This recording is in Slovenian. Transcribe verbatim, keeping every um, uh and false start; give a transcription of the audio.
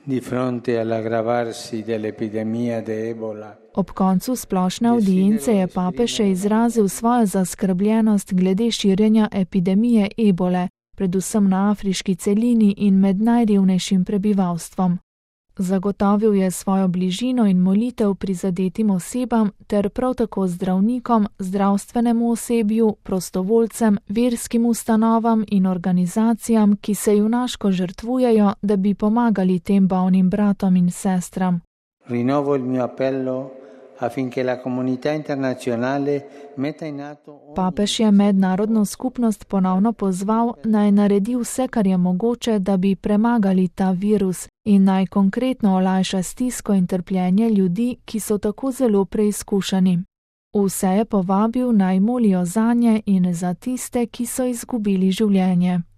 Di fronte all'aggravarsi dell'epidemia de Ebola. Ob koncu splošne avdience je papež še izrazil svojo zaskrbljenost glede širjenja epidemije ebole, predvsem na afriški celini in med najrevnejšim prebivalstvom. Zagotovil je svojo bližino in molitev prizadetim osebam ter prav tako zdravnikom, zdravstvenemu osebju, prostovoljcem, verskim ustanovam in organizacijam, ki se junaško žrtvujejo, da bi pomagali tem bolnim bratom in sestram. Rinnovo il mio appello affinché la comunità internazionale metta in atto. Papež je mednarodno skupnost ponovno pozval, naj naredi vse, kar je mogoče, da bi premagali ta virus in naj konkretno olajša stisko in trpljenje ljudi, ki so tako zelo preizkušeni. Vse je povabil, naj molijo zanje in za tiste, ki so izgubili življenje.